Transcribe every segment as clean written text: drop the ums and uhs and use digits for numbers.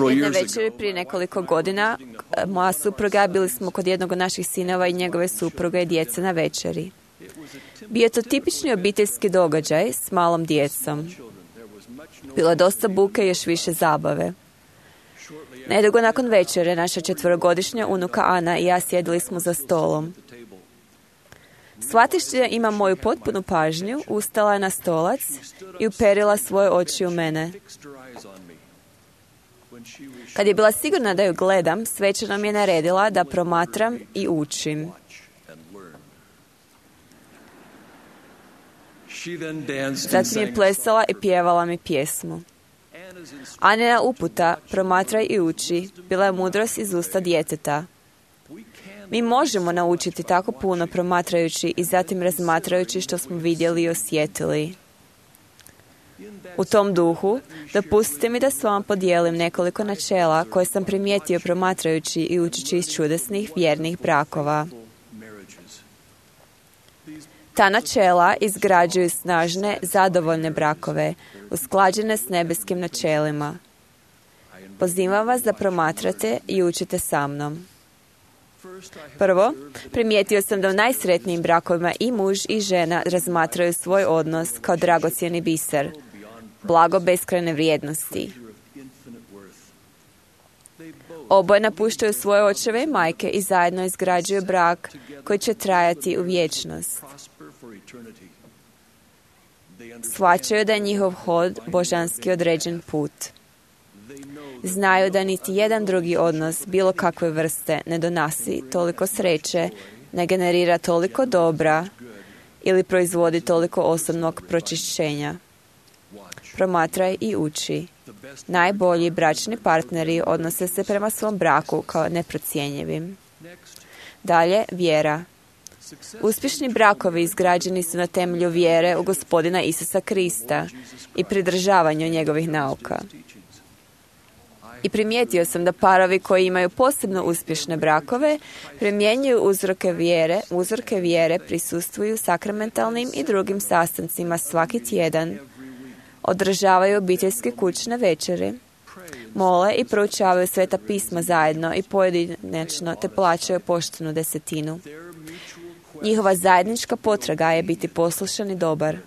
Jedne večeri prije nekoliko godina, moja supruga, bili smo kod jednog od naših sinova i njegove supruge i djece na večeri. Bio je to tipični obiteljski događaj s malom djecom. Bilo je dosta buke i još više zabave. Nedugo nakon večere, naša 4-godišnja unuka Ana i ja sjedili smo za stolom. Shvatiš da ima moju potpunu pažnju, ustala je na stolac i uperila svoje oči u mene. Kad je bila sigurna da ju gledam, svečano mi je naredila da promatram i učim. Zatim je plesala i pjevala mi pjesmu. Anina uputa, promatraj i uči, bila je mudrost iz usta djeteta. Mi možemo naučiti tako puno promatrajući i zatim razmatrajući što smo vidjeli i osjetili. U tom duhu, dopustite mi da s vama podijelim nekoliko načela koje sam primijetio promatrajući i učići iz čudesnih vjernih brakova. Ta načela izgrađuju snažne, zadovoljne brakove, usklađene s nebeskim načelima. Pozivam vas da promatrate i učite sa mnom. Prvo, primijetio sam da u najsretnijim brakovima i muž i žena razmatraju svoj odnos kao dragocjeni biser, blago beskrajne vrijednosti. Oboje napuštaju svoje očeve i majke i zajedno izgrađuju brak koji će trajati u vječnost. Shvaćaju da je njihov hod božanski određen put. Znaju da niti jedan drugi odnos bilo kakve vrste ne donosi toliko sreće, ne generira toliko dobra ili proizvodi toliko osobnog pročišćenja. Promatraj i uči. Najbolji bračni partneri odnose se prema svom braku kao neprocjenjivim. Dalje, vjera. Uspješni brakovi izgrađeni su na temelju vjere u Gospodina Isusa Krista i pridržavanju njegovih nauka. I primijetio sam da parovi koji imaju posebno uspješne brakove primjenjuju uzorke vjere prisustvuju sakramentalnim i drugim sastancima svaki tjedan, održavaju obiteljske kućne večeri, mole i proučavaju sveta pisma zajedno i pojedinačno te plaćaju poštenu desetinu. Njihova zajednička potraga je biti poslušan i dobar.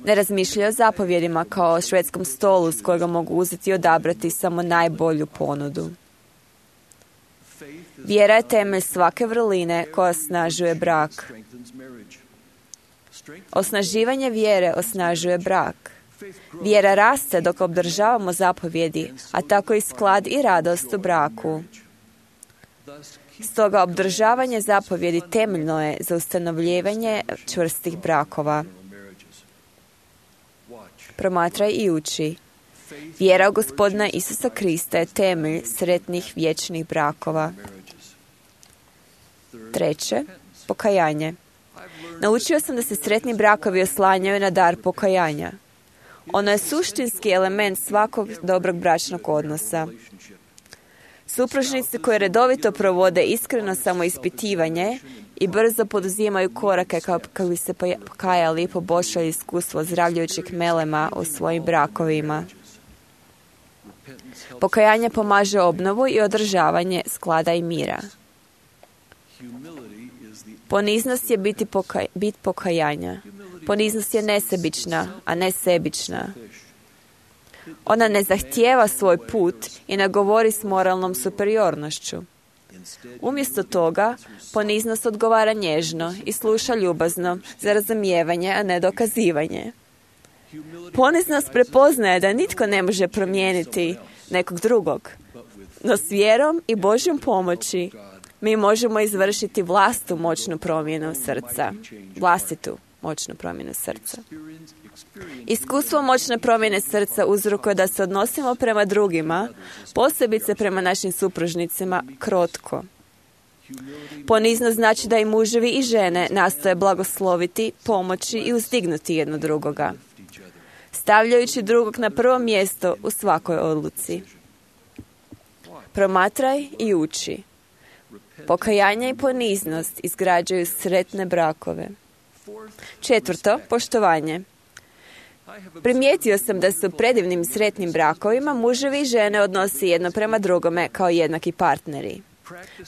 Ne razmišljaju o zapovjedima kao o švedskom stolu s kojega mogu uzeti i odabrati samo najbolju ponudu. Vjera je temelj svake vrline koja osnažuje brak. Osnaživanje vjere osnažuje brak. Vjera raste dok obdržavamo zapovjedi, a tako i sklad i radost u braku. Stoga obdržavanje zapovjedi temeljno je za ustanovljavanje čvrstih brakova. Promatraj i uči. Vjera u Gospodina Isusa Krista je temelj sretnih vječnih brakova. Treće, pokajanje. Naučio sam da se sretni brakovi oslanjaju na dar pokajanja. Ono je suštinski element svakog dobrog bračnog odnosa. Supružnici koji redovito provode iskreno samoispitivanje i brzo poduzimaju korake kako bi se pokajali i poboljšali iskustvo ozdravljujućih melema u svojim brakovima. Pokajanje pomaže obnovu i održavanje sklada i mira. Poniznost je bit pokajanja. Poniznost je nesebična, a ne sebična. Ona ne zahtijeva svoj put i ne govori s moralnom superiornošću. Umjesto toga, poniznost odgovara nježno i sluša ljubazno za razumijevanje, a ne dokazivanje. Poniznost prepoznaje da nitko ne može promijeniti nekog drugog, no s vjerom i Božjom pomoći mi možemo izvršiti vlastitu moćnu promjenu srca. Iskustvo moćne promjene srca uzrokuje da se odnosimo prema drugima, posebice prema našim supružnicima, krotko. Poniznost znači da i muževi i žene nastoje blagosloviti, pomoći i uzdignuti jedno drugoga, stavljajući drugog na prvo mjesto u svakoj odluci. Promatraj i uči. Pokajanje i poniznost izgrađuju sretne brakove. Četvrto, poštovanje. Primijetio sam da se u predivnim i sretnim brakovima muževi i žene odnose jedno prema drugome kao jednaki partneri.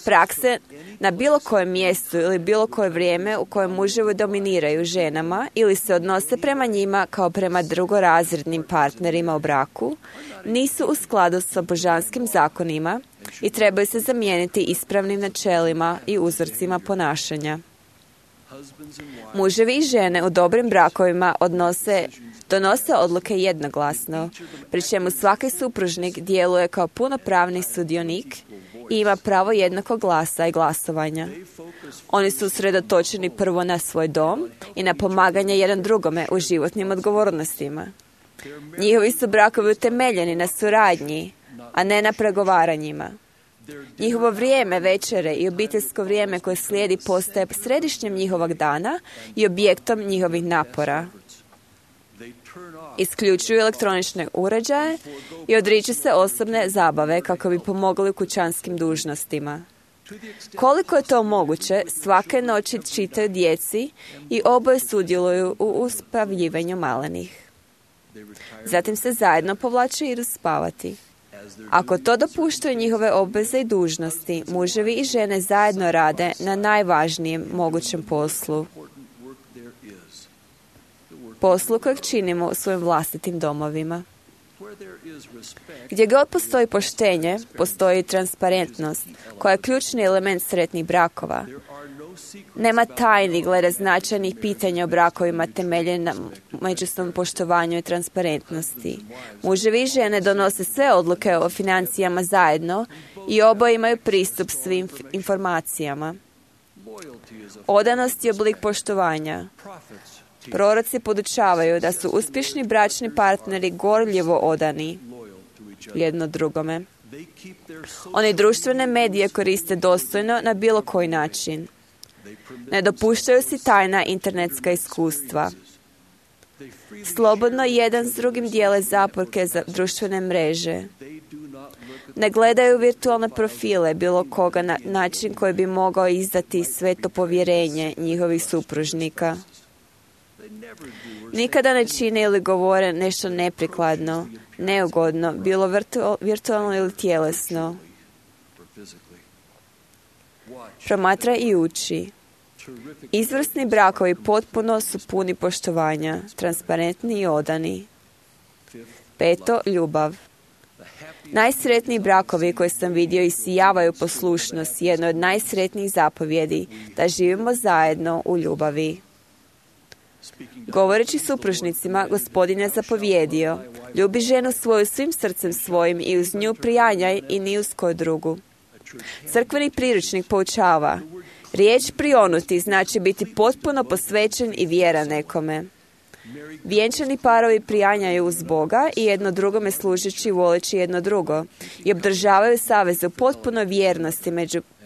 Prakse na bilo kojem mjestu ili bilo koje vrijeme u kojem muževi dominiraju ženama ili se odnose prema njima kao prema drugorazrednim partnerima u braku nisu u skladu sa božanskim zakonima i trebaju se zamijeniti ispravnim načelima i uzorcima ponašanja. Muževi i žene u dobrim brakovima donose odluke jednoglasno, pri čemu svaki supružnik djeluje kao punopravni sudionik i ima pravo jednakog glasa i glasovanja. Oni su usredotočeni prvo na svoj dom i na pomaganje jedan drugome u životnim odgovornostima. Njihovi su brakovi utemeljeni na suradnji, a ne na pregovaranjima. Njihovo vrijeme večere i obiteljsko vrijeme koje slijedi postaje središnjem njihovog dana i objektom njihovih napora. Isključuju elektronične uređaje i odriču se osobne zabave kako bi pomogli u kućanskim dužnostima. Koliko je to moguće, svake noći čitaju djeci i oboje sudjeluju u uspavljivanju malenih. Zatim se zajedno povlače i idu spavati. Ako to dopuštaju njihove obveze i dužnosti, muževi i žene zajedno rade na najvažnijem mogućem poslu kojeg činimo u svojim vlastitim domovima. Gdje god postoji poštenje, postoji transparentnost, koja je ključni element sretnih brakova. Nema tajni glede značajnih pitanja o brakovima temeljen na međusobnom poštovanju i transparentnosti. Muževi i žene donose sve odluke o financijama zajedno i oboje imaju pristup svim informacijama. Odanost je oblik poštovanja. Proroci podučavaju da su uspješni bračni partneri gorljivo odani jedno drugome. Oni društvene medije koriste dostojno na bilo koji način. Ne dopuštaju si tajna internetska iskustva. Slobodno jedan s drugim dijele zaporke za društvene mreže. Ne gledaju virtualne profile bilo koga na način koji bi mogao izdati sveto povjerenje njihovih supružnika. Nikada ne čine ili govore nešto neprikladno, neugodno, bilo virtualno ili tjelesno. Promatraj i uči. Izvrsni brakovi potpuno su puni poštovanja, transparentni i odani. 5. Ljubav. Najsretniji brakovi koje sam vidio isijavaju poslušnost, jedno od najsretnijih zapovjedi, da živimo zajedno u ljubavi. Govoreći supružnicima, Gospodin je zapovjedio: ljubi ženu svoju svim srcem svojim i uz nju prijanjaj i ni uz koju drugu. Crkveni priručnik poučava: riječ prionuti znači biti potpuno posvećen i vjeran nekome. Vjenčani parovi prijanjaju uz Boga i jedno drugome služeći i voleći jedno drugo i obdržavaju saveze u potpunoj vjernosti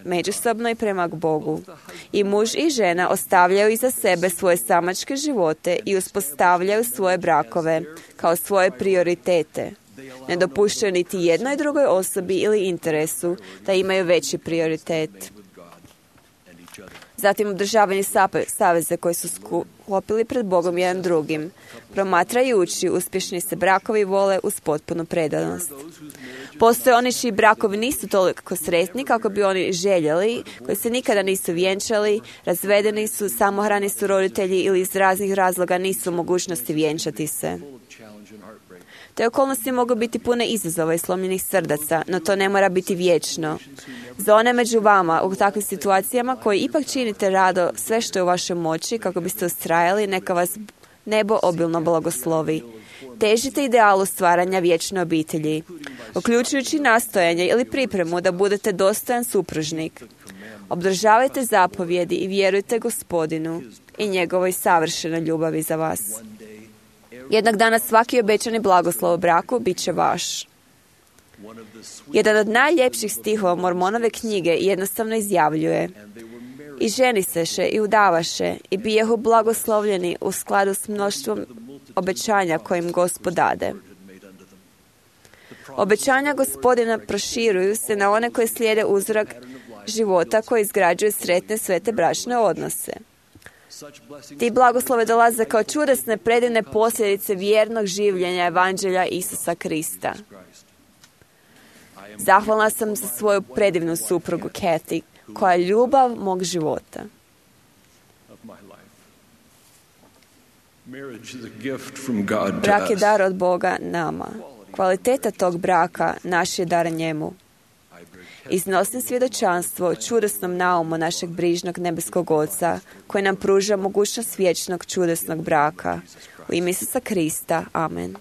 međusobno i prema Bogu. I muž i žena ostavljaju iza sebe svoje samačke živote i uspostavljaju svoje brakove kao svoje prioritete. Ne dopuštaju niti jednoj drugoj osobi ili interesu da imaju veći prioritet. Zatim održavanje saveze koji su sklopili pred Bogom jedan drugim. Promatrajući, uspješni se brakovi vole uz potpunu predanost. Postoje oni čiji brakovi nisu toliko sretni kako bi oni željeli, koji se nikada nisu vjenčali, razvedeni su, samohrani su roditelji ili iz raznih razloga nisu u mogućnosti vjenčati se. Te okolnosti mogu biti pune izazova i slomljenih srdaca, no to ne mora biti vječno. Za one među vama u takvim situacijama koji ipak činite rado sve što je u vašoj moći kako biste ustrajali, neka vas nebo obilno blagoslovi. Težite idealu stvaranja vječne obitelji, uključujući nastojanje ili pripremu da budete dostojan supružnik. Obdržavajte zapovjedi i vjerujte Gospodinu i njegovoj savršenoj ljubavi za vas. Jednog dana svaki obećani blagoslov u braku bit će vaš. Jedan od najljepših stihova Mormonove knjige jednostavno izjavljuje: i ženiseše i udavaše i bijahu blagoslovljeni u skladu s mnoštvom obećanja kojim Gospod dade. Obećanja Gospodina proširuju se na one koje slijede uzorak života koji izgrađuje sretne svete bračne odnose. Ti blagoslove dolaze kao čudesne, predivne posljedice vjernog življenja Evanđelja Isusa Krista. Zahvalna sam za svoju predivnu suprugu Kathy, koja je ljubav mog života. Brak je dar od Boga nama. Kvaliteta tog braka naš je dar njemu. Iznosim svjedočanstvo o čudesnom naumu našeg brižnog nebeskog Oca, koji nam pruža mogućnost vječnog čudesnog braka. U ime Isusa Krista. Amen.